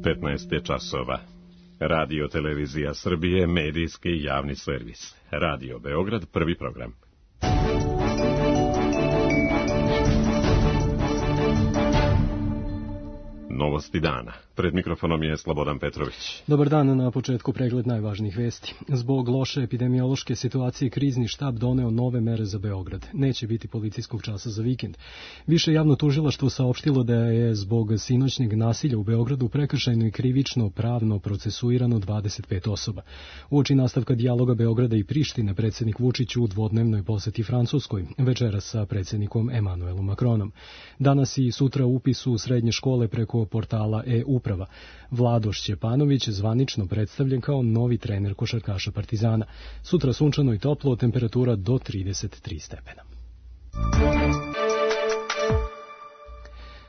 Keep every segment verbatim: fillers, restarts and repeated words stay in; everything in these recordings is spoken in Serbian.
petnaest je časova. Radio Televizija Srbije, medijski javni servis. Radio Beograd, prvi program. Novosti dana. Pred mikrofonom je Slobodan Petrović. Dobar dan, na početku pregled najvažnijih vesti. Zbog loše epidemiološke situacije krizni štab doneo nove mere za Beograd. Neće biti policijskog časa za vikend. Više javno tužilaštvo saopštilo da je zbog sinoćnjeg nasilja u Beogradu prekršajno i krivično pravno procesuirano dvadeset pet osoba. Uoči nastavka dijaloga Beograda i Prištine, predsjednik Vučić u dvodnevnoj poseti Francuskoj, večeras sa predsjednikom Emanuelom Macronom. Danas i sutra upis u srednje škole preko portala e-uprava. Vlado Šćepanović zvanično predstavljen kao novi trener košarkaša Partizana. Sutra sunčano i toplo, temperatura do trideset tri stepena.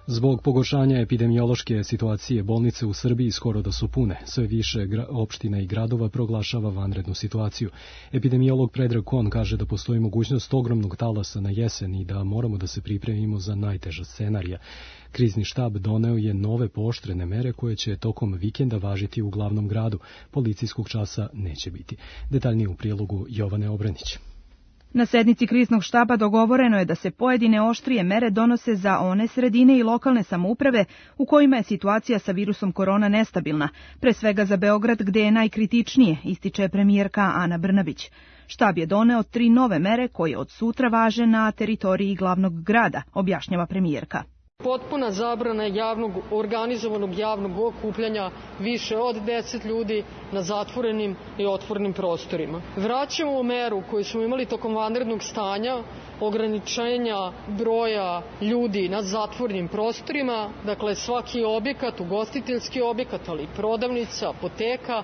Zbog pogoršanja epidemiološke situacije, bolnice u Srbiji skoro da su pune. Sve više opština i gradova proglašava vanrednu situaciju. Epidemiolog Predrag Kon kaže da postoji mogućnost ogromnog talasa na jesen i da moramo da se pripremimo za najteža scenarija. Krizni štab doneo je nove pooštrene mere koje će tokom vikenda važiti u glavnom gradu. Policijskog časa neće biti. Detaljnije u prilogu Jovane Obrenić. Na sednici kriznog štaba dogovoreno je da se pojedine oštrije mere donose za one sredine i lokalne samouprave u kojima je situacija sa virusom korona nestabilna, pre svega za Beograd gde je najkritičnije, ističe premijerka Ana Brnabić. Štab je doneo tri nove mere koje od sutra važe na teritoriji glavnog grada, objašnjava premijerka. Potpuna zabrana javnog, organizovanog javnog okupljanja više od deset ljudi na zatvorenim i otvorenim prostorima. Vraćamo u meru koju smo imali tokom vanrednog stanja, ograničenja broja ljudi na zatvorenim prostorima, dakle svaki objekat, ugostiteljski objekat, ali i prodavnica, apoteka,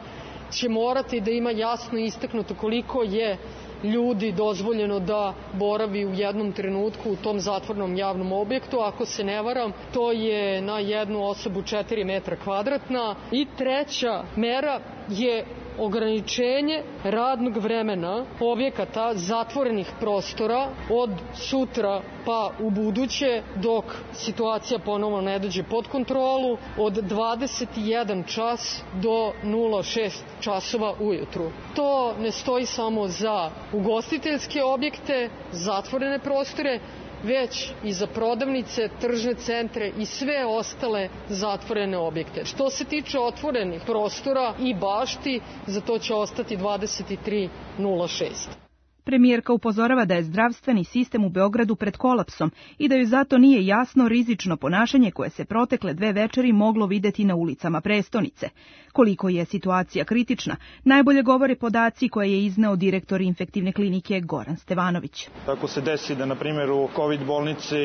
će morati da ima jasno istaknuto koliko je ljudi dozvoljeno da boravi u jednom trenutku u tom zatvornom javnom objektu. Ako se ne varam, to je na jednu osobu četiri metra kvadratna. I treća mera je ograničenje radnog vremena objekata zatvorenih prostora od sutra pa u buduće dok situacija ponovo ne dođe pod kontrolu od dvadeset jedan čas do nula šest časova ujutru. To ne stoji samo za ugostiteljske objekte, zatvorene prostore, već i za prodavnice, tržne centre i sve ostale zatvorene objekte. Što se tiče otvorenih prostora i bašti, za to će ostati dvadeset tri nula šest. Premijerka upozorava da je zdravstveni sistem u Beogradu pred kolapsom i da joj zato nije jasno rizično ponašanje koje se protekle dve večeri moglo videti na ulicama prestonice. Koliko je situacija kritična, najbolje govore podaci koje je izneo direktor infektivne klinike Goran Stevanović. Ako se desi da, na primjer, u COVID bolnici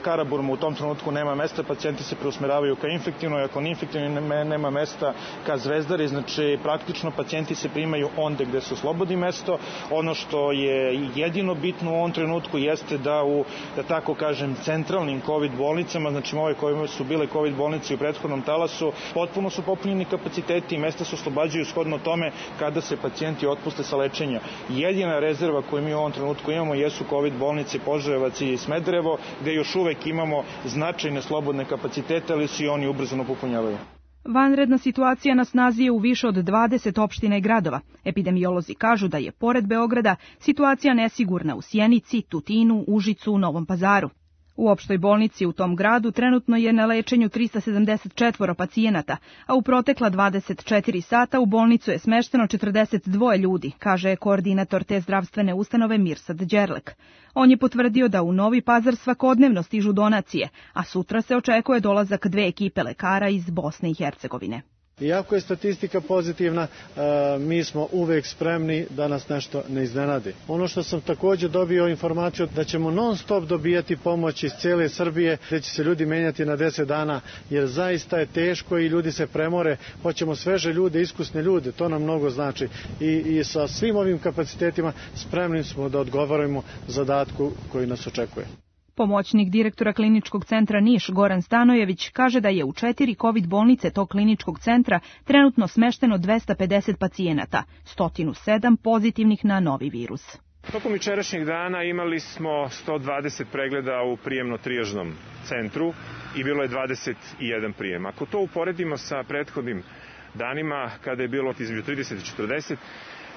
Karaburmu u tom trenutku nema mesta, pacijenti se preusmeravaju ka infektivnoj, ako infektivnoj nema mesta ka Zvezdari, znači praktično pacijenti se primaju onde gde se oslobodi mesto. Ono što je jedino bitno u ovom trenutku jeste da u, da tako kažem, centralnim COVID bolnicama, znači ove koje su bile COVID bolnice u prethodnom talasu, potpuno su popunjeni kapaciteti i mesta se oslobađaju shodno tome kada se pacijenti otpuste sa lečenja. Jedina rezerva koju mi u ovom trenutku imamo jesu COVID bolnice Požarevac i Smederevo, gde još uvek imamo značajne slobodne kapacitete, ali se i oni ubrzano popunjavaju. Vanredna situacija na snazi je u više od dvadeset opština i gradova. Epidemiolozi kažu da je, pored Beograda, situacija nesigurna u Sjenici, Tutinu, Užicu, Novom Pazaru. U opštoj bolnici u tom gradu trenutno je na lečenju trista sedamdeset četvoro pacijenata, a u protekla dvadeset četiri sata u bolnicu je smešteno četrdeset dva ljudi, kaže koordinator te zdravstvene ustanove Mirsad Đerlek. On je potvrdio da u Novi Pazar svakodnevno stižu donacije, a sutra se očekuje dolazak dve ekipe lekara iz Bosne i Hercegovine. Iako je statistika pozitivna, mi smo uvek spremni da nas nešto ne iznenadi. Ono što sam također dobio informaciju da ćemo non stop dobijati pomoć iz cijele Srbije, da će se ljudi menjati na deset dana, jer zaista je teško i ljudi se premore. Hoćemo sveže ljude, iskusne ljude, to nam mnogo znači. I, i sa svim ovim kapacitetima spremni smo da odgovorimo zadatku koji nas očekuje. Pomoćnik direktora kliničkog centra Niš Goran Stanojević kaže da je u četiri COVID bolnice tog kliničkog centra trenutno smešteno dvesta pedeset pacijenata, sto sedam pozitivnih na novi virus. Tokom jučerašnjeg dana imali smo sto dvadeset pregleda u prijemno-trijažnom centru i bilo je dvadeset jedan prijem. Ako to uporedimo sa prethodnim danima, kada je bilo između trideset i četrdeset,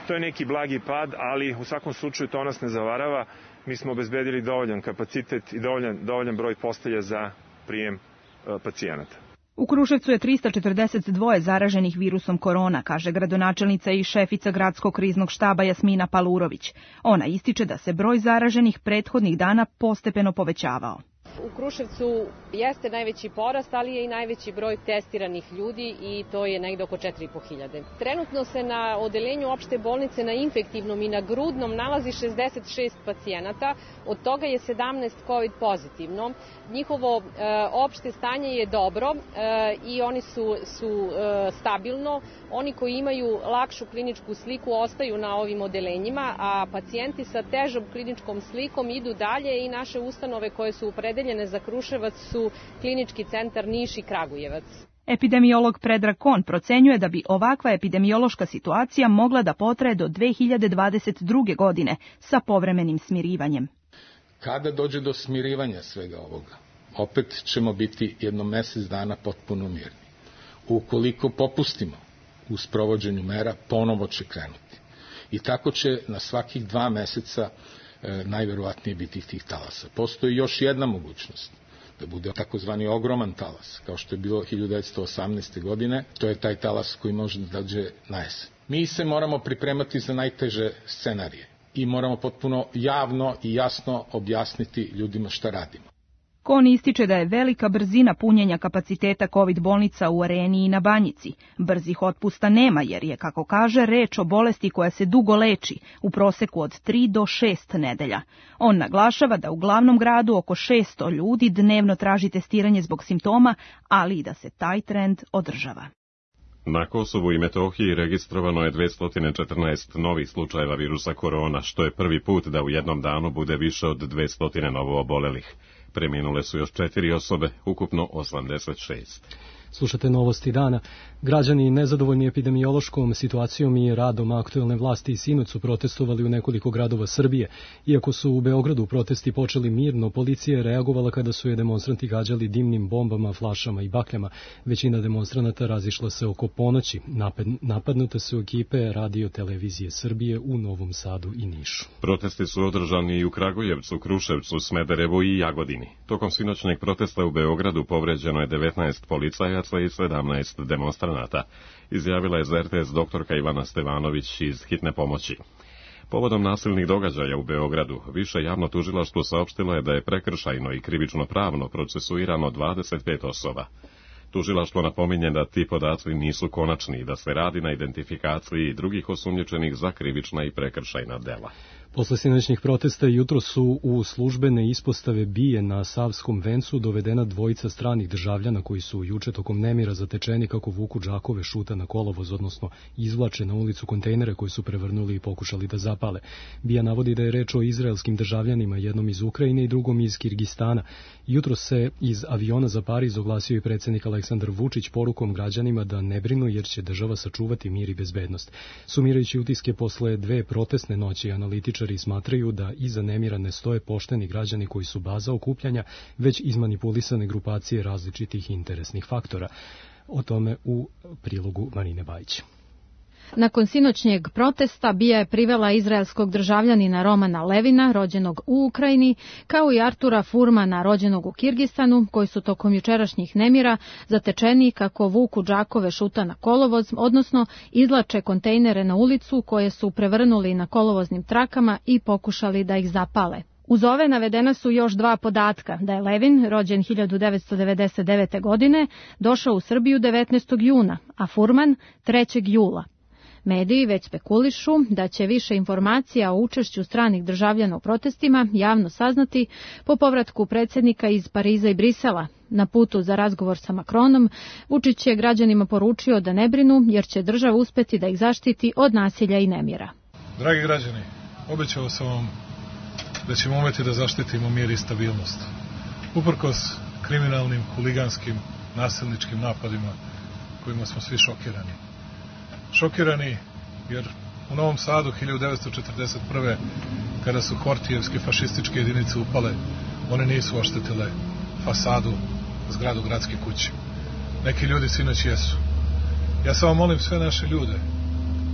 to je neki blagi pad, ali u svakom slučaju to nas ne zavarava. Mi smo obezbedili dovoljan kapacitet i dovoljan, dovoljan broj postelja za prijem e, pacijenata. U Kruševcu je trista četrdeset dva zaraženih virusom korona, kaže gradonačelnica i šefica gradskog kriznog štaba Jasmina Palurović. Ona ističe da se broj zaraženih prethodnih dana postepeno povećavao. U Kruševcu jeste najveći porast, ali je i najveći broj testiranih ljudi i to je negde oko četiri i po hiljade. Trenutno se na odeljenju opšte bolnice na infektivnom i na grudnom nalazi šezdeset šest pacijenata, od toga je sedamnaest COVID pozitivno. Njihovo e, opšte stanje je dobro e, i oni su, su e, stabilno. Oni koji imaju lakšu kliničku sliku ostaju na ovim odelenjima, a pacijenti sa težom kliničkom slikom idu dalje i naše ustanove koje su opredeljene za Kruševac su Klinički centar Niš i Kragujevac. Epidemiolog Predrag Kon procenjuje da bi ovakva epidemiološka situacija mogla da potraje do dve hiljade dvadeset druge. godine sa povremenim smirivanjem. Kada dođe do smirivanja svega ovoga, opet ćemo biti jedno mesec dana potpuno mirni. Ukoliko popustimo u sprovođenju mera, ponovo će krenuti. I tako će na svakih dva meseca e, najverovatnije biti tih talasa. Postoji još jedna mogućnost, da bude takozvani ogroman talas, kao što je bilo hiljadu devetsto osamnaeste. godine, to je taj talas koji može da dođe na jesen. Mi se moramo pripremati za najteže scenarije i moramo potpuno javno i jasno objasniti ljudima šta radimo. Kon ističe da je velika brzina punjenja kapaciteta COVID bolnica u Areni i na Banjici. Brzih otpusta nema jer je, kako kaže, reč o bolesti koja se dugo leči, u proseku od tri do šest nedelja. On naglašava da u glavnom gradu oko šesto ljudi dnevno traži testiranje zbog simptoma, ali i da se taj trend održava. Na Kosovu i Metohiji registrovano je dvesta četrnaest novih slučajeva virusa korona, što je prvi put da u jednom danu bude više od dvesta novo obolelih. Preminule su još četiri osobe, ukupno osamdeset šest. Slušate novosti dana. Građani nezadovoljni epidemiološkom situacijom i radom aktuelne vlasti i sinoć su protestovali u nekoliko gradova Srbije. Iako su u Beogradu protesti počeli mirno, policija je reagovala kada su je demonstranti gađali dimnim bombama, flašama i bakljama. Većina demonstranata razišla se oko ponoći. Napadnute su ekipe Radio Televizije Srbije u Novom Sadu i Nišu. Protesti su održani i u Kragujevcu, Kruševcu, Smederevu i Jagodini. Tokom sinoćnjeg protesta u Beogradu povređeno je devetnaest policajaca i sedamnaest demonstranata, izjavila je za er te es doktorka Ivana Stevanović iz hitne pomoći. Povodom nasilnih događaja u Beogradu, više javno tužilaštvo saopštilo je da je prekršajno i krivično pravno procesuirano dvadeset pet osoba. Tužilaštvo napominje da ti podaci nisu konačni i da se radi na identifikaciji drugih osumnjičenih za krivična i prekršajna dela. Posle sinoćnih protesta jutro su u službene ispostave BIA na Savskom vencu dovedena dvojica stranih državljana koji su juče tokom nemira zatečeni kako vuku džakove šuta na kolovoz, odnosno izvlače na ulicu kontejnere koji su prevrnuli i pokušali da zapale. BIA navodi da je reč o izraelskim državljanima, jednom iz Ukrajine i drugom iz Kirgistana. Jutro se iz aviona za Pariz oglasio i predsjednik Aleksandar Vučić porukom građanima da ne brinu jer će država sačuvati mir i bezbednost. Sumirajući utiske posle dve protestne noći, analitičari smatraju da iza nemira ne stoje pošteni građani koji su baza okupljanja, već izmanipulisane grupacije različitih interesnih faktora. O tome u prilogu Marine Bajić. Nakon sinoćnjeg protesta BIA je privela izraelskog državljanina Romana Levina, rođenog u Ukrajini, kao i Artura Furmana, rođenog u Kirgistanu, koji su tokom jučerašnjih nemira zatečeni kako vuku džakove šuta na kolovoz, odnosno izlače kontejnere na ulicu koje su prevrnuli na kolovoznim trakama i pokušali da ih zapale. Uz ove navedena su još dva podatka, da je Levin, rođen hiljadu devetsto devedeset devete. godine, došao u Srbiju devetnaestog juna, a Furman trećeg jula. Mediji već spekulišu da će više informacija o učešću stranih državljana u protestima javno saznati po povratku predsjednika iz Pariza i Brisela. Na putu za razgovor sa Macronom, Vučić je građanima poručio da ne brinu jer će država uspeti da ih zaštiti od nasilja i nemira. Dragi građani, obećao sam vam da ćemo umeti da zaštitimo mir i stabilnost. Uprkos kriminalnim, huliganskim, nasilničkim napadima kojima smo svi šokirani. Šokirani jer U Novom Sadu hiljadu devetsto četrdeset prve kada su Hortijevske fašističke jedinice upale, one nisu oštetile fasadu, zgradu gradske kuće. Neki ljudi sinoć jesu. Ja samo molim sve naše ljude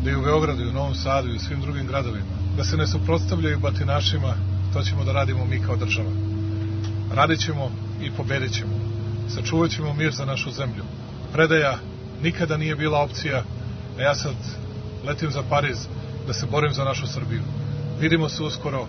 da i u Beogradu, i u Novom Sadu, i u svim drugim gradovima, da se ne suprotstavljaju batinašima, to ćemo da radimo mi kao država. Radit ćemo i pobedit ćemo. Sačuvat ćemo mir za našu zemlju. Predaja nikada nije bila opcija, a ja sad letim za Pariz da se borim za našu Srbiju. Vidimo se uskoro,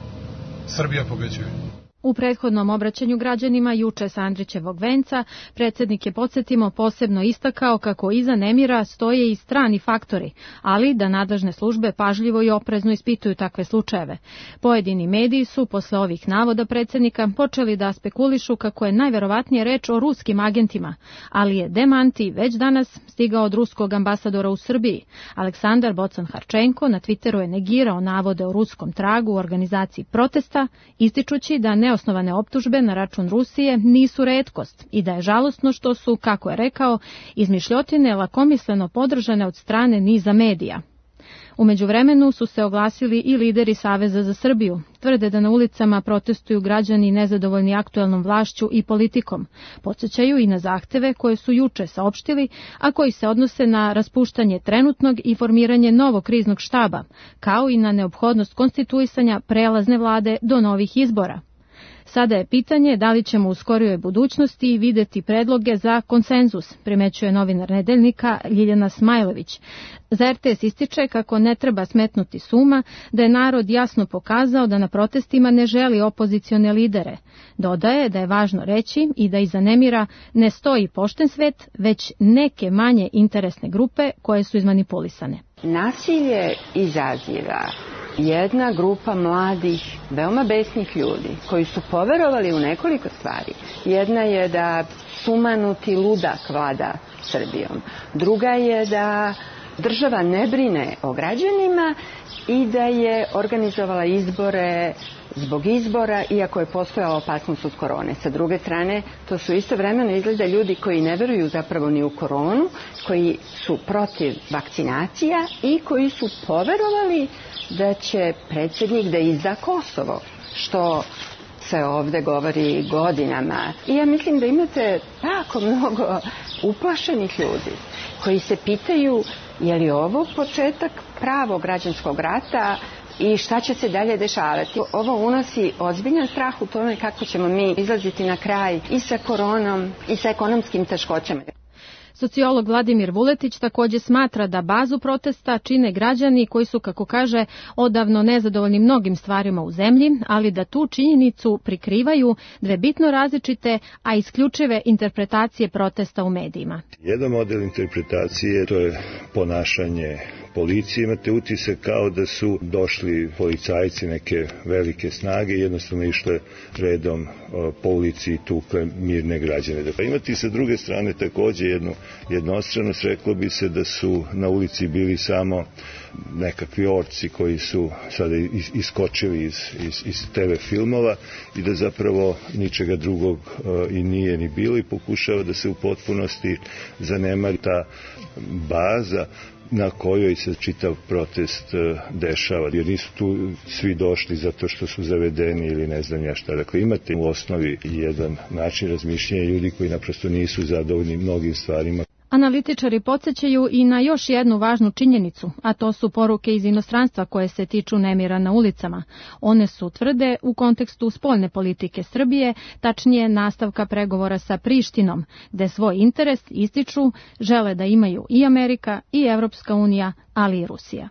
Srbija pobeđuje. U prethodnom obraćanju građanima juče sa Andrićevog venca, predsjednik je, podsjetimo, posebno istakao kako iza nemira stoje i strani faktori, ali da nadležne službe pažljivo i oprezno ispituju takve slučajeve. Pojedini mediji su, posle ovih navoda predsjednika, počeli da spekulišu kako je najverovatnije reč o ruskim agentima, ali je demanti već danas stigao od ruskog ambasadora u Srbiji. Aleksandar Bocan-Harčenko na Twitteru je negirao navode o ruskom tragu u organizaciji protesta, ističući da ne osnovane optužbe na račun Rusije nisu retkost i da je žalosno što su, kako je rekao, izmišljotine lakomisleno podržane od strane niza medija. U međuvremenu su se oglasili i lideri Saveza za Srbiju. Tvrde da na ulicama protestuju građani nezadovoljni aktuelnom vlašću i politikom. Podsjećaju i na zahteve koje su juče saopštili, a koji se odnose na raspuštanje trenutnog i formiranje novog kriznog štaba, kao i na neophodnost konstituisanja prelazne vlade do novih izbora. Sada je pitanje da li ćemo u skorijoj budućnosti videti predloge za konsenzus, primećuje novinar Nedeljnika Ljiljana Smajlević. Za er te es ističe kako ne treba smetnuti s uma da je narod jasno pokazao da na protestima ne želi opozicione lidere. Dodaje da je važno reći i da iza nemira ne stoji pošten svet, već neke manje interesne grupe koje su izmanipulisane. Nasilje izaziva jedna grupa mladih, veoma besnih ljudi koji su poverovali u nekoliko stvari. Jedna je da sumanuti ludak vlada Srbijom. Druga je da država ne brine o građanima i da je organizovala izbore zbog izbora, iako je postojala opasnost od korone. Sa druge strane, to su istovremeno izgleda ljudi koji ne veruju zapravo ni u koronu, koji su protiv vakcinacija i koji su poverovali da će predsjednik da izda Kosovo, što se ovde govori godinama. I ja mislim da imate tako mnogo uplašenih ljudi koji se pitaju je li ovo početak pravog građanskog rata i šta će se dalje dešavati. Ovo unosi ozbiljan strah u tome kako ćemo mi izlaziti na kraj i sa koronom i sa ekonomskim teškoćama. Sociolog Vladimir Vuletić također smatra da bazu protesta čine građani koji su, kako kaže, odavno nezadovoljni mnogim stvarima u zemlji, ali da tu činjenicu prikrivaju dve bitno različite, a isključive interpretacije protesta u medijima. Jedan model interpretacije to je ponašanje policije. Imate utisak kao da su došli policajci neke velike snage i jednostavno išle redom po ulici i tukle mirne građane. Dakle, imate sa druge strane također jednu jednostranost, reklo bi se da su na ulici bili samo nekakvi orci koji su sada iskočili iz, iz, iz te ve filmova i da zapravo ničega drugog i nije ni bilo i pokušava da se u potpunosti zanemari ta baza na kojoj se čitav protest dešava. Jer nisu tu svi došli zato što su zavedeni ili ne znam ja šta. Dakle, imate u osnovi jedan način razmišljanja ljudi koji naprosto nisu zadovoljni mnogim stvarima. Analitičari podsjećaju i na još jednu važnu činjenicu, a to su poruke iz inostranstva koje se tiču nemira na ulicama. One su, tvrde, u kontekstu spoljne politike Srbije, tačnije nastavka pregovora sa Prištinom, gde svoj interes ističu žele da imaju i Amerika i Evropska unija, ali i Rusija.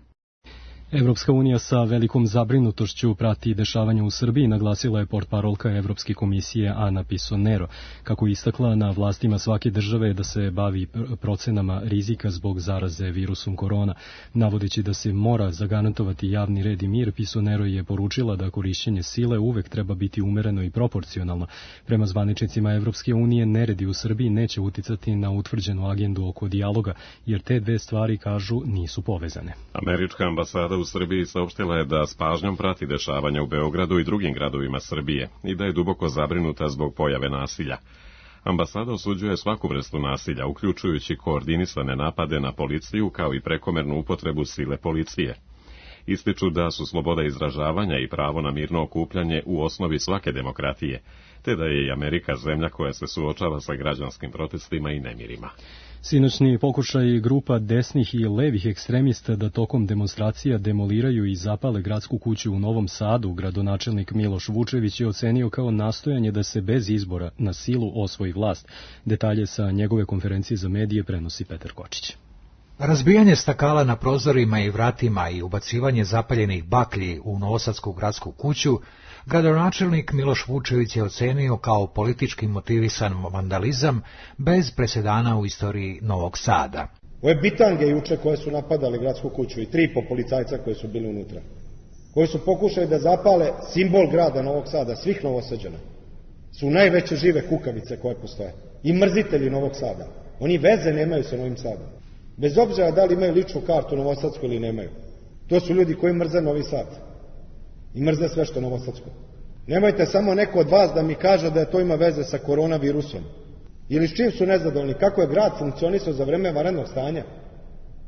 Evropska unija sa velikom zabrinutošću prati dešavanja u Srbiji, naglasila je portparolka Evropske komisije Ana Pisonero. Kako istakla, na vlastima svake države da se bavi procenama rizika zbog zaraze virusom korona. Navodeći da se mora zagarantovati javni red i mir, Pisonero je poručila da korišćenje sile uvek treba biti umereno i proporcionalno. Prema zvaničnicima Evropske unije, neredi u Srbiji neće uticati na utvrđenu agendu oko dijaloga, jer te dve stvari, kažu, nisu povezane. Američka ambasada u Srbiji saopštila je da s pažnjom prati dešavanja u Beogradu i drugim gradovima Srbije i da je duboko zabrinuta zbog pojave nasilja. Ambasada osuđuje svaku vrstu nasilja, uključujući koordinisane napade na policiju kao i prekomernu upotrebu sile policije. Ističu da su sloboda izražavanja i pravo na mirno okupljanje u osnovi svake demokratije, te da je i Amerika zemlja koja se suočava sa građanskim protestima i nemirima. Sinoćni pokušaj grupa desnih i levih ekstremista da tokom demonstracija demoliraju i zapale gradsku kuću u Novom Sadu, gradonačelnik Miloš Vučević je ocenio kao nastojanje da se bez izbora na silu osvoji vlast. Detalje sa njegove konferencije za medije prenosi Petar Kočić. Razbijanje stakala na prozorima i vratima i ubacivanje zapaljenih baklji u novosadsku gradsku kuću gradonačelnik Miloš Vučević je ocenio kao politički motivisan vandalizam bez presedana u istoriji Novog Sada. Ove bitange juče koje su napadali gradsku kuću i tri po policajca koji su bili unutra, koji su pokušali da zapale simbol grada Novog Sada, svih Novosađana, su najveće žive kukavice koje postoje i mrzitelji Novog Sada. Oni veze nemaju sa Novim Sadom. Bez obzira da li imaju ličnu kartu novosadsku ili nemaju. To su ljudi koji mrze Novi Sad. I mrze sve što je novosadsko. Nemojte samo neko od vas da mi kaže da to ima veze sa koronavirusom. Ili s čim su nezadovoljni, kako je grad funkcionisao za vreme vanrednog stanja.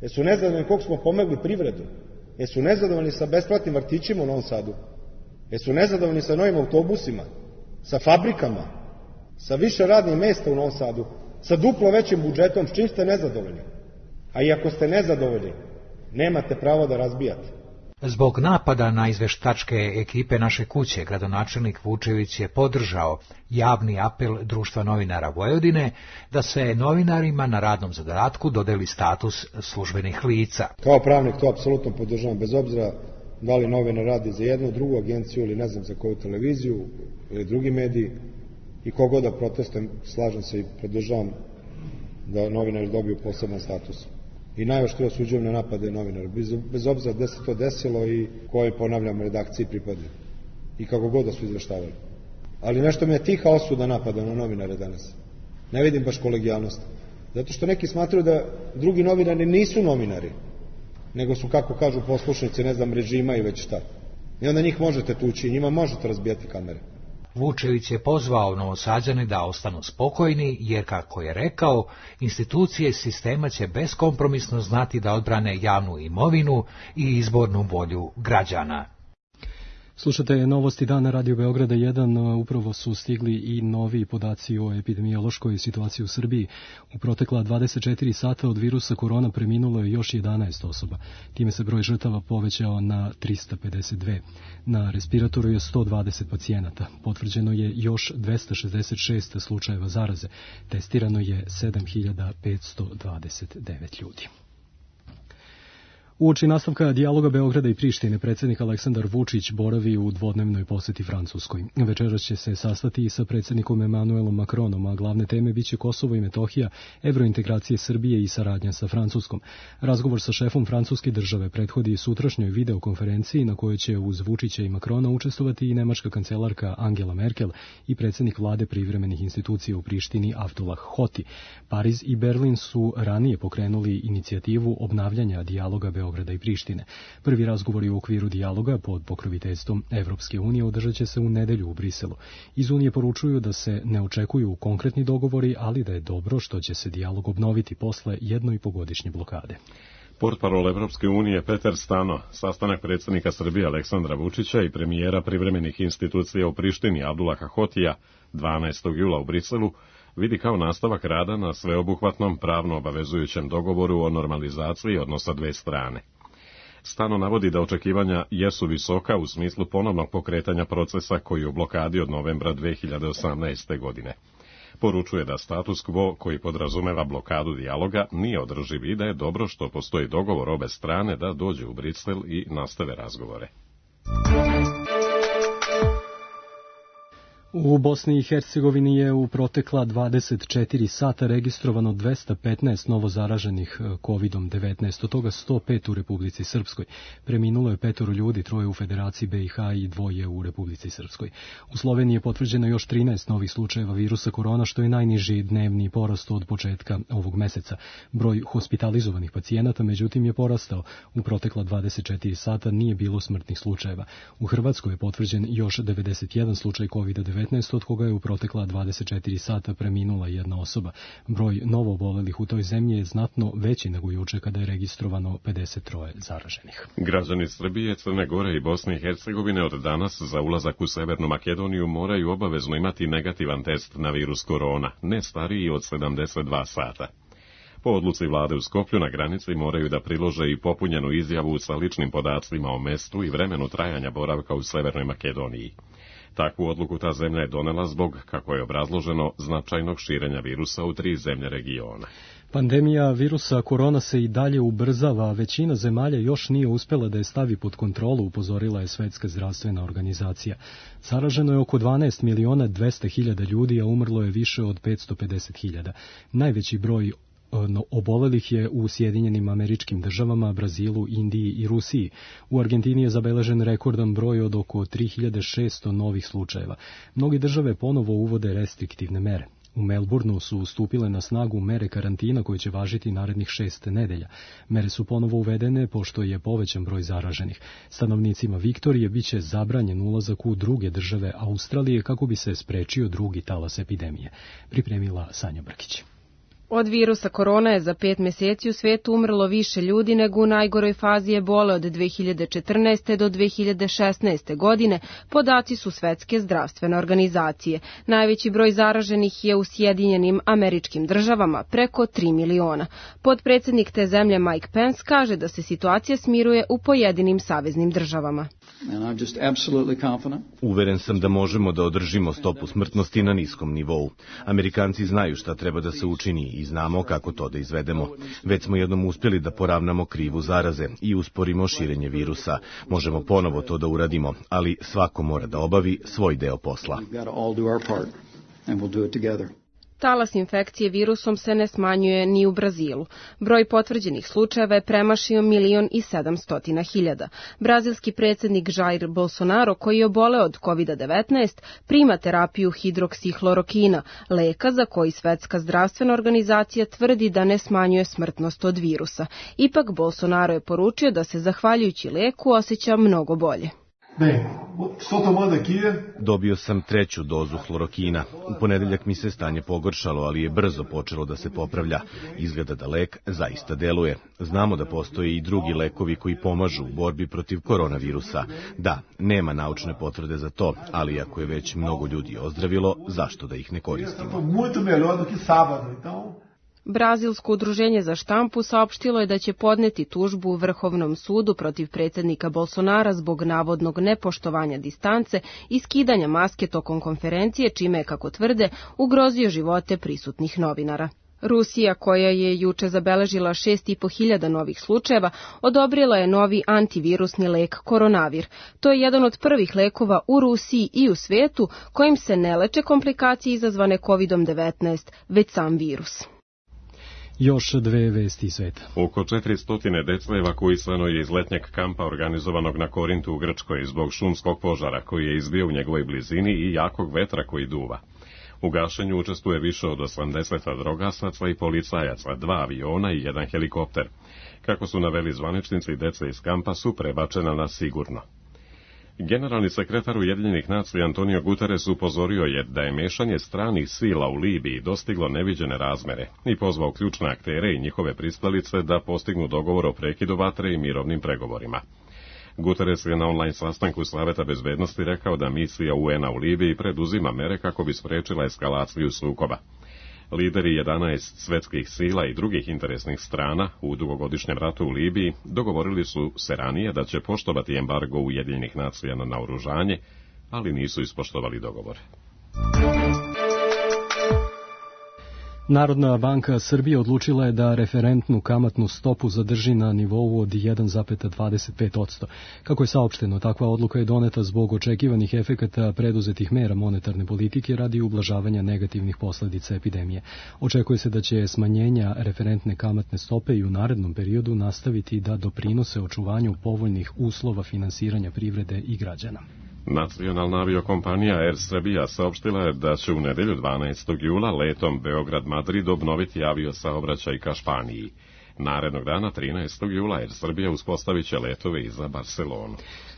Jesu nezadovoljni koliko smo pomogli privredu. Jesu nezadovoljni sa besplatnim vrtićima u Novom Sadu. Jesu nezadovoljni sa novim autobusima, sa fabrikama, sa više radnih mesta u Novom Sadu, sa duplo većim budžetom, s čim ste nezadovoljni. A i ako ste nezadovoljni, nemate pravo da razbijate. Zbog napada na izveštačke ekipe Naše kuće, gradonačelnik Vučević je podržao javni apel Društva novinara Vojvodine da se novinarima na radnom zadatku dodeli status službenih lica. Kao pravnik to apsolutno podržavam, bez obzira da li novinar radi za jednu, drugu agenciju ili ne znam za koju televiziju ili drugi mediji, i kogod da protestujem, slažem se i podržavam da novinari dobiju poseban status. I najoštrije osuđujem na napade novinara, bez, bez obzira gde se to desilo i koje, ponavljam, redakciji pripadne. I kako god da su izveštavali. Ali nešto mi je tiha osuda napada na novinare danas. Ne vidim baš kolegijalnost. Zato što neki smatraju da drugi novinari nisu novinari, nego su, kako kažu, poslušnici, ne znam, režima i već šta. I onda njih možete tući, njima možete razbijati kamere. Vučević je pozvao Novosađane da ostanu spokojni, jer, kako je rekao, institucije sistema će beskompromisno znati da odbrane javnu imovinu i izbornu volju građana. Slušate novosti dana Radio Beograda jedan, upravo su stigli i novi podaci o epidemiološkoj situaciji u Srbiji. U protekla dvadeset četiri sata od virusa korona preminulo je još jedanaest osoba. Time se broj žrtava povećao na trista pedeset dve. Na respiratoru je sto dvadeset pacijenata. Potvrđeno je još dvesta šezdeset šest slučajeva zaraze. Testirano je sedam hiljada petsto dvadeset devet ljudi. Uoči nastavka dijaloga Beograda i Prištine, predsjednik Aleksandar Vučić boravi u dvodnevnoj poseti Francuskoj. Večeras će se sastati i sa predsjednikom Emanuelom Macronom, a glavne teme biće Kosovo i Metohija, evrointegracije Srbije i saradnja sa Francuskom. Razgovor sa šefom francuske države prethodi sutrašnjoj videokonferenciji na kojoj će uz Vučića i Macrona učestvovati i nemačka kancelarka Angela Merkel i predsjednik vlade privremenih institucija u Prištini Abdullah Hoti. Pariz i Berlin su ranije pokrenuli inicijativu obnavljanja dijaloga Beograda Beograda i Prištine. Prvi razgovori u okviru dijaloga pod pokroviteljstvom Evropske unije održat će se u nedelju u Briselu. Iz Unije poručuju da se ne očekuju konkretni dogovori, ali da je dobro što će se dijalog obnoviti posle jedno i pogodišnje blokade. Portparol Evropske unije Peter Stano, sastanak predsjednika Srbije Aleksandra Vučića i premijera privremenih institucija u Prištini Abdullaha Hotija dvanaestog jula u Briselu, vidi kao nastavak rada na sveobuhvatnom pravno obavezujućem dogovoru o normalizaciji odnosa dve strane. Stano navodi da očekivanja jesu visoka u smislu ponovnog pokretanja procesa koji je u blokadi od novembra dve hiljade osamnaeste. godine. Poručuje da status quo koji podrazumeva blokadu dijaloga nije održiv i da je dobro što postoji dogovor obe strane da dođu u Brisel i nastave razgovore. U Bosni i Hercegovini je u protekla dvadeset četiri sata registrovano dvesta petnaest novo zaraženih kovidom devetnaest, od toga sto pet u Republici Srpskoj. Preminulo je petoro ljudi, troje u Federaciji B i H i dvoje u Republici Srpskoj. U Sloveniji je potvrđeno još trinaest novih slučajeva virusa korona, što je najniži dnevni porast od početka ovog meseca. Broj hospitalizovanih pacijenata, međutim, je porastao. U protekla dvadeset četiri sata nije bilo smrtnih slučajeva. U Hrvatskoj je potvrđen još devedeset jedan slučaj kovida devetnaest, devetnaest, od koga je u protekla dvadeset četiri sata preminula jedna osoba. Broj novoobolelih u toj zemlji je znatno veći nego juče kada je registrovano pedeset tri zaraženih. Građani Srbije, Crne Gore i Bosne i Hercegovine od danas za ulazak u Severnu Makedoniju moraju obavezno imati negativan test na virus korona, ne stariji od sedamdeset dva sata. Po odluci vlade u Skoplju na granici moraju da prilože i popunjenu izjavu sa ličnim podacima o mestu i vremenu trajanja boravka u Severnoj Makedoniji. Takvu odluku ta zemlja je donela zbog, kako je obrazloženo, značajnog širenja virusa u tri zemlje regiona. Pandemija virusa korona se i dalje ubrzava, a većina zemalja još nije uspela da je stavi pod kontrolu, upozorila je Svetska zdravstvena organizacija. Zaraženo je oko dvanaest miliona dvesta hiljada ljudi, a umrlo je više od petsto pedeset hiljada. Najveći broj obolelih je u Sjedinjenim Američkim Državama, Brazilu, Indiji i Rusiji. U Argentini je zabeležen rekordan broj od oko tri hiljade šesto novih slučajeva. Mnogi države ponovo uvode restriktivne mere. U Melbourneu su stupile na snagu mere karantina koje će važiti narednih šest nedelja. Mere su ponovo uvedene pošto je povećan broj zaraženih. Stanovnicima Viktorije biće zabranjen ulazak u druge države Australije kako bi se sprečio drugi talas epidemije. Pripremila Sanja Brkić. Od virusa korona je za pet meseci u svetu umrlo više ljudi nego u najgoroj fazi ebole od dve hiljade četrnaeste. do dve hiljade šesnaeste. godine, podaci su Svetske zdravstvene organizacije. Najveći broj zaraženih je u Sjedinjenim Američkim Državama, preko tri miliona. Potpredsednik te zemlje Mike Pence kaže da se situacija smiruje u pojedinim saveznim državama. Uveren sam da možemo da održimo stopu smrtnosti na niskom nivou. Amerikanci znaju šta treba da se učini i znamo kako to da izvedemo. Već smo jednom uspjeli da poravnamo krivu zaraze i usporimo širenje virusa. Možemo ponovo to da uradimo, ali svako mora da obavi svoj deo posla. Talas infekcije virusom se ne smanjuje ni u Brazilu. Broj potvrđenih slučajeva je premašio milion i sedamstotina hiljada. Brazilski predsjednik Jair Bolsonaro, koji je oboleo od kovid devetnaest, prima terapiju hidroksihlorokina, leka za koji Svetska zdravstvena organizacija tvrdi da ne smanjuje smrtnost od virusa. Ipak Bolsonaro je poručio da se zahvaljujući leku osjeća mnogo bolje. Dobio sam treću dozu hlorokina. U ponedeljak mi se stanje pogoršalo, ali je brzo počelo da se popravlja. Izgleda da lek zaista deluje. Znamo da postoje i drugi lekovi koji pomažu u borbi protiv koronavirusa. Da, nema naučne potvrde za to, ali ako je već mnogo ljudi ozdravilo, zašto da ih ne koristimo? Brazilsko udruženje za štampu saopštilo je da će podneti tužbu u Vrhovnom sudu protiv predsjednika Bolsonara zbog navodnog nepoštovanja distance i skidanja maske tokom konferencije, čime je, kako tvrde, ugrozio živote prisutnih novinara. Rusija, koja je juče zabeležila šest i po hiljada novih slučajeva, odobrila je novi antivirusni lek Koronavir. To je jedan od prvih lekova u Rusiji i u svetu kojim se ne leče komplikacije izazvane kovid devetnaest, već sam virus. Još dve vesti sveta. Oko četiristo dece evakuisano je iz letnjeg kampa organizovanog na Korintu u Grčkoj zbog šumskog požara koji je izbio u njegovoj blizini i jakog vetra koji duva. U gašenju učestvuje više od osamdeset drogasaca i policajaca, dva aviona i jedan helikopter. Kako su naveli zvaničnici, deca iz kampa su prebačena na sigurno. Generalni sekretar Ujedinjenih nacija Antonio Guterres upozorio je da je mešanje stranih sila u Libiji dostiglo neviđene razmere i pozvao ključne aktere i njihove pristalice da postignu dogovor o prekidu vatre i mirovnim pregovorima. Guterres je na online sastanku Saveta bezbednosti rekao da misija U N-a u Libiji preduzima mere kako bi sprečila eskalaciju sukoba. Lideri jedanaest svetskih sila i drugih interesnih strana u dugogodišnjem ratu u Libiji dogovorili su se ranije da će poštovati embargo Ujedinjenih nacija na naoružanje, ali nisu ispoštovali dogovor. Narodna banka Srbije odlučila je da referentnu kamatnu stopu zadrži na nivou od jedan zarez dvadeset pet posto. Kako je saopšteno, takva odluka je doneta zbog očekivanih efekata preduzetih mera monetarne politike radi ublažavanja negativnih posledica epidemije. Očekuje se da će smanjenja referentne kamatne stope i u narednom periodu nastaviti da doprinose očuvanju povoljnih uslova finansiranja privrede i građana. Nacionalna aviokompanija Air Srbija saopštila je da će u nedelju dvanaestog jula letom Beograd-Madrid obnoviti aviosaobraćaj ka Španiji. Narednog dana, trinaestog jula, Air Srbija uspostavit će letove i za Barcelonu.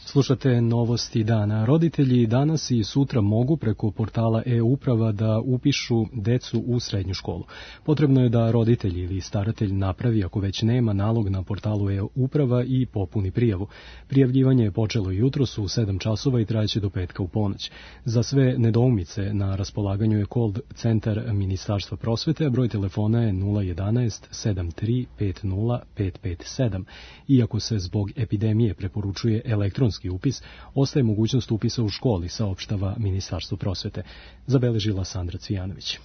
Slušate novosti dana. Roditelji danas i sutra mogu preko portala e-uprava da upišu decu u srednju školu. Potrebno je da roditelj ili staratelj napravi, ako već nema, nalog na portalu e-uprava i popuni prijavu. Prijavljivanje je počelo jutros u sedam časova i trajeće do petka u ponoć. Za sve nedoumice na raspolaganju je call centar Ministarstva prosvete, a broj telefona je nula jedanaest sedam tri pet nula pet pet sedam. Iako se zbog epidemije preporučuje elektronski upis, ostaje mogućnost upisa u školi, saopštava Ministarstvo prosvete. Zabeležila Sandra Cvijanović.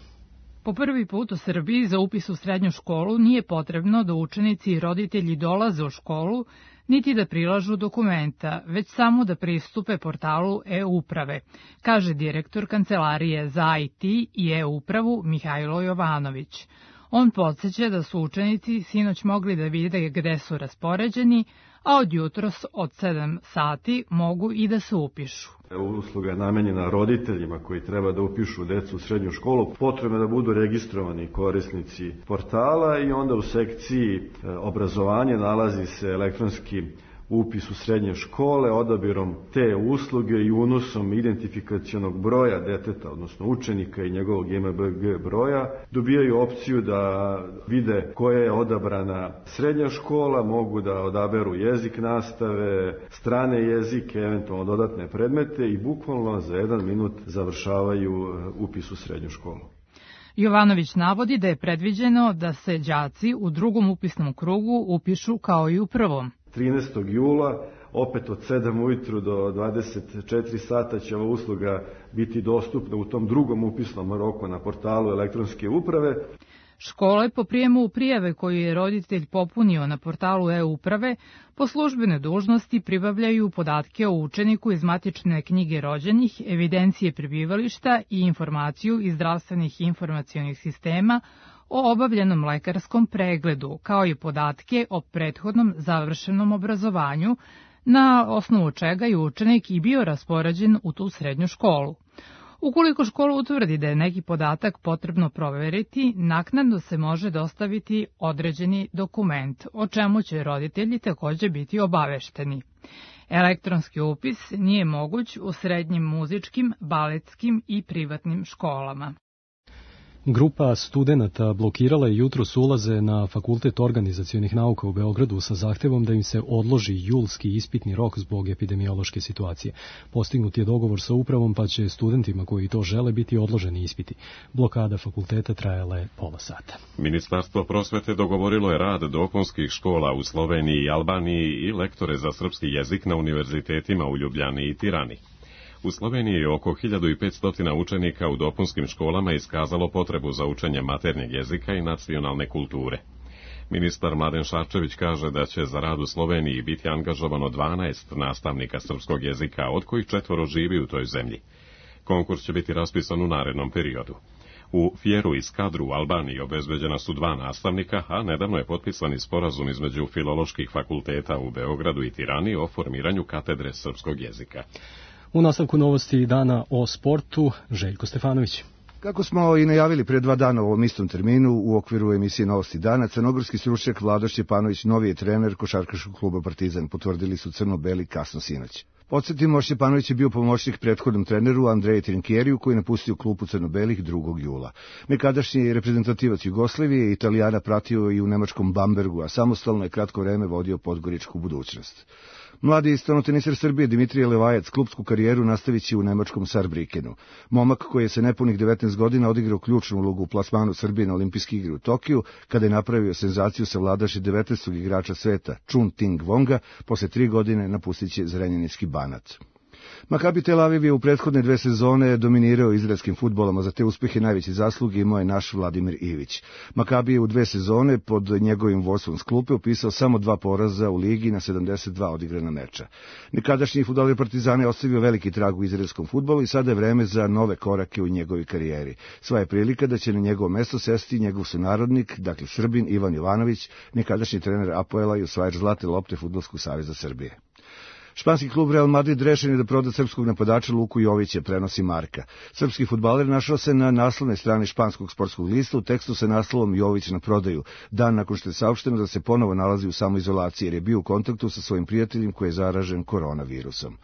Po prvi put u Srbiji za upis u srednju školu nije potrebno da učenici i roditelji dolaze u školu, niti da prilažu dokumenta, već samo da pristupe portalu e-uprave, kaže direktor Kancelarije za I T i e-upravu Mihajlo Jovanović. On podsjeća da su učenici sinoć mogli da vide gde su raspoređeni, a od jutros od sedam sati mogu i da se upišu. Usluga je namenjena roditeljima koji treba da upišu decu u srednju školu. Potrebno je da budu registrovani korisnici portala i onda u sekciji obrazovanje nalazi se elektronski upis u srednje škole. Odabirom te usluge i unosom identifikacionog broja deteta, odnosno učenika i njegovog M B G broja, dobijaju opciju da vide koja je odabrana srednja škola, mogu da odaberu jezik nastave, strane jezike, eventualno dodatne predmete i bukvalno za jedan minut završavaju upis u srednju školu. Jovanović navodi da je predviđeno da se đaci u drugom upisnom krugu upišu kao i u prvom. trinaestog jula, opet od sedam ujutru do dvadeset četiri sata će ova usluga biti dostupna u tom drugom upisnom roku na portalu elektronske uprave. Škole po prijemu prijave koju je roditelj popunio na portalu e-uprave po službene dužnosti pribavljaju podatke o učeniku iz matične knjige rođenih, evidencije prebivališta i informaciju iz zdravstvenih informacionih sistema o obavljenom lekarskom pregledu, kao i podatke o prethodnom završenom obrazovanju, na osnovu čega je učenik i bio raspoređen u tu srednju školu. Ukoliko škola utvrdi da je neki podatak potrebno proveriti, naknadno se može dostaviti određeni dokument, o čemu će roditelji takođe biti obavešteni. Elektronski upis nije moguć u srednjim muzičkim, baletskim i privatnim školama. Grupa studenata blokirala je jutros ulaze na Fakultet organizacionih nauka u Beogradu sa zahtevom da im se odloži julski ispitni rok zbog epidemiološke situacije. Postignut je dogovor sa upravom, pa će studentima koji to žele biti odloženi ispiti. Blokada fakulteta trajala je pola sata. Ministarstvo prosvete dogovorilo je rad dopunskih škola u Sloveniji i Albaniji i lektore za srpski jezik na univerzitetima u Ljubljani i Tirani. U Sloveniji je oko hiljadu petsto učenika u dopunskim školama iskazalo potrebu za učenje maternjeg jezika i nacionalne kulture. Ministar Mladen Šarčević kaže da će za rad u Sloveniji biti angažovano dvanaest nastavnika srpskog jezika, od kojih četvoro živi u toj zemlji. Konkurs će biti raspisan u narednom periodu. U Fjeru i Skadru u Albaniji obezbeđena su dva nastavnika, a nedavno je potpisan sporazum između filoloških fakulteta u Beogradu i Tirani o formiranju katedre srpskog jezika. U nastavku novosti dana o sportu, Željko Stefanović. Kako smo i najavili pre dva dana u ovom istom terminu, u okviru emisije Novosti dana, crnogorski stručnjak Vlado Šćepanović, novi je trener košarkaškog kluba Partizan, potvrdili su crno-beli kasno sinoć. Podsjetimo, Šćepanović je bio pomoćnik prethodnom treneru Andreje Trinkjeriju, koji je napustio klubu crno-belih drugog jula. Nekadašnji reprezentativac Jugoslavije i Italijana pratio i u nemačkom Bambergu, a samostalno je kratko vreme vodio podgoričku budućnost. Mladi stonoteniser Srbije Dimitrije Levajac klupsku karijeru nastavit će u nemačkom Saarbrückenu. Momak koji je sa nepunih devetnaest godina odigrao ključnu ulogu u plasmanu Srbije na olimpijske igre u Tokiju, kada je napravio senzaciju savladaši devetnaestog igrača sveta Chun Ting Vonga, posle tri godine napustit će Zrenjaninski Banat. Maccabi Tel Aviv je u prethodne dve sezone dominirao izraelskim fudbolom, a za te uspehe najveće zasluge imao je naš Vladimir Ivić. Maccabi je u dve sezone pod njegovim vodstvom s klupe upisao samo dva poraza u ligi na sedamdeset dva odigrana meča. Nekadašnji fudbaler Partizana je ostavio veliki trag u izraelskom fudbalu i sada je vreme za nove korake u njegovoj karijeri. Sva je prilika da će na njegovo mesto sesti njegov sunarodnik, dakle Srbin Ivan Jovanović, nekadašnji trener Apoela i osvajač zlate lopte Fudbalskog saveza Srbije. Španski klub Real Madrid rešen je da proda srpskog napadača Luku Jovića, prenosi Marka. Srpski fudbaler našao se na naslovnoj strani španskog sportskog lista u tekstu sa naslovom Jović na prodaju, dan nakon što je saopšteno da se ponovo nalazi u samoizolaciji jer je bio u kontaktu sa svojim prijateljem koji je zaražen koronavirusom.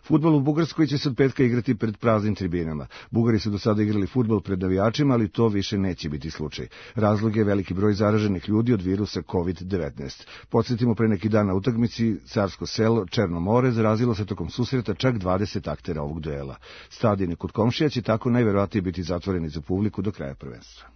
Fudbal u Bugarskoj će se od petka igrati pred praznim tribinama. Bugari su do sada igrali fudbal pred navijačima, ali to više neće biti slučaj. Razlog je veliki broj zaraženih ljudi od virusa kovid devetnaest. Podsjetimo, pre neki dan na utakmici Carsko selo Černo more zarazilo se tokom susreta čak dvadeset aktera ovog duela. Stadioni kod komšija će tako najverovatnije biti zatvoreni za publiku do kraja prvenstva.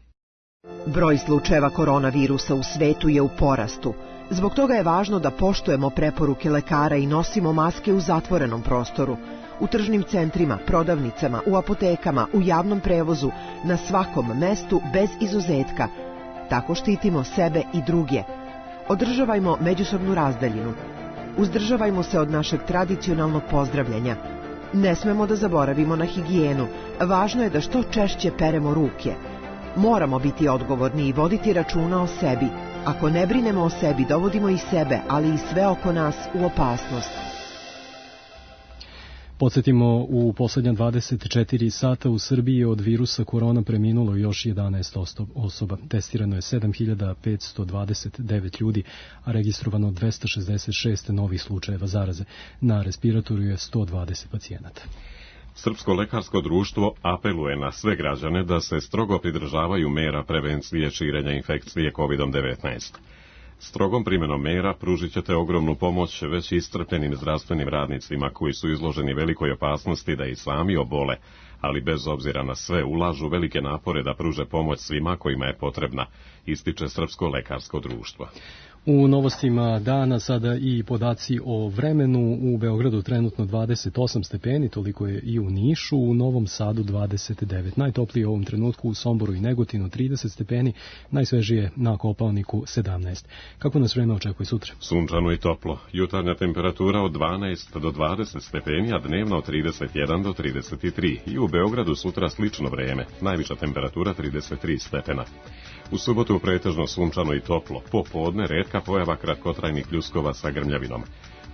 Broj slučajeva koronavirusa u svetu je u porastu. Zbog toga je važno da poštujemo preporuke lekara i nosimo maske u zatvorenom prostoru, u tržnim centrima, prodavnicama, u apotekama, u javnom prevozu, na svakom mestu bez izuzetka. Tako štitimo sebe i druge. Održavajmo međusobnu razdaljinu. Uzdržavajmo se od našeg tradicionalnog pozdravljanja. Ne smemo da zaboravimo na higijenu. Važno je da što češće peremo ruke. Moramo biti odgovorni i voditi računa o sebi. Ako ne brinemo o sebi, dovodimo i sebe, ali i sve oko nas u opasnost. Podsjetimo, u poslednja dvadeset četiri sata u Srbiji od virusa korona preminulo još jedanaest osoba. Testirano je sedam hiljada petsto dvadeset devet ljudi, a registrovano dvesta šezdeset šest novih slučajeva zaraze. Na respiratoru je sto dvadeset pacijenata. Srpsko lekarsko društvo apeluje na sve građane da se strogo pridržavaju mera prevencije širenja infekcije kovid devetnaest. Strogom primjenom mera pružit ćete ogromnu pomoć već iscrpljenim zdravstvenim radnicima koji su izloženi velikoj opasnosti da i sami obole, ali bez obzira na sve ulažu velike napore da pruže pomoć svima kojima je potrebna, ističe Srpsko lekarsko društvo. U novostima dana sada i podaci o vremenu. U Beogradu trenutno dvadeset osam stepeni, toliko je i u Nišu, u Novom Sadu dvadeset devet. Najtoplije u ovom trenutku u Somboru i Negotinu trideset stepeni, najsvežije na Kopaoniku sedamnaest. Kako nas vreme očekuje sutra? Sunčano i toplo. Jutarnja temperatura od dvanaest do dvadeset stepeni, a dnevna od trideset jedan do trideset tri. I u Beogradu sutra slično vreme, najviša temperatura trideset tri stepena. U subotu pretežno sunčano i toplo, popodne retka pojava kratkotrajnih pljuskova sa grmljavinom.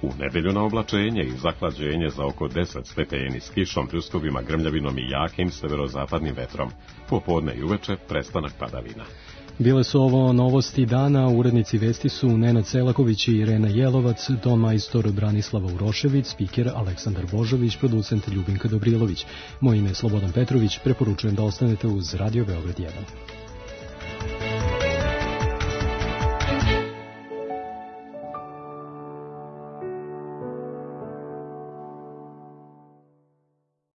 U nedelju na oblačenje i zahlađenje za oko deset stepeni s kišom, pljuskovima, grmljavinom i jakim severozapadnim vetrom. Popodne i uveče prestanak padavina. Bile su ovo novosti dana, urednici vesti su Nenad Selaković i Irena Jelovac, ton majstor Branislava Urošević, spiker Aleksandar Božović, producent Ljubinka Dobrilović. Moje ime je Slobodan Petrović, preporučujem da ostanete uz Radio Beograd jedan.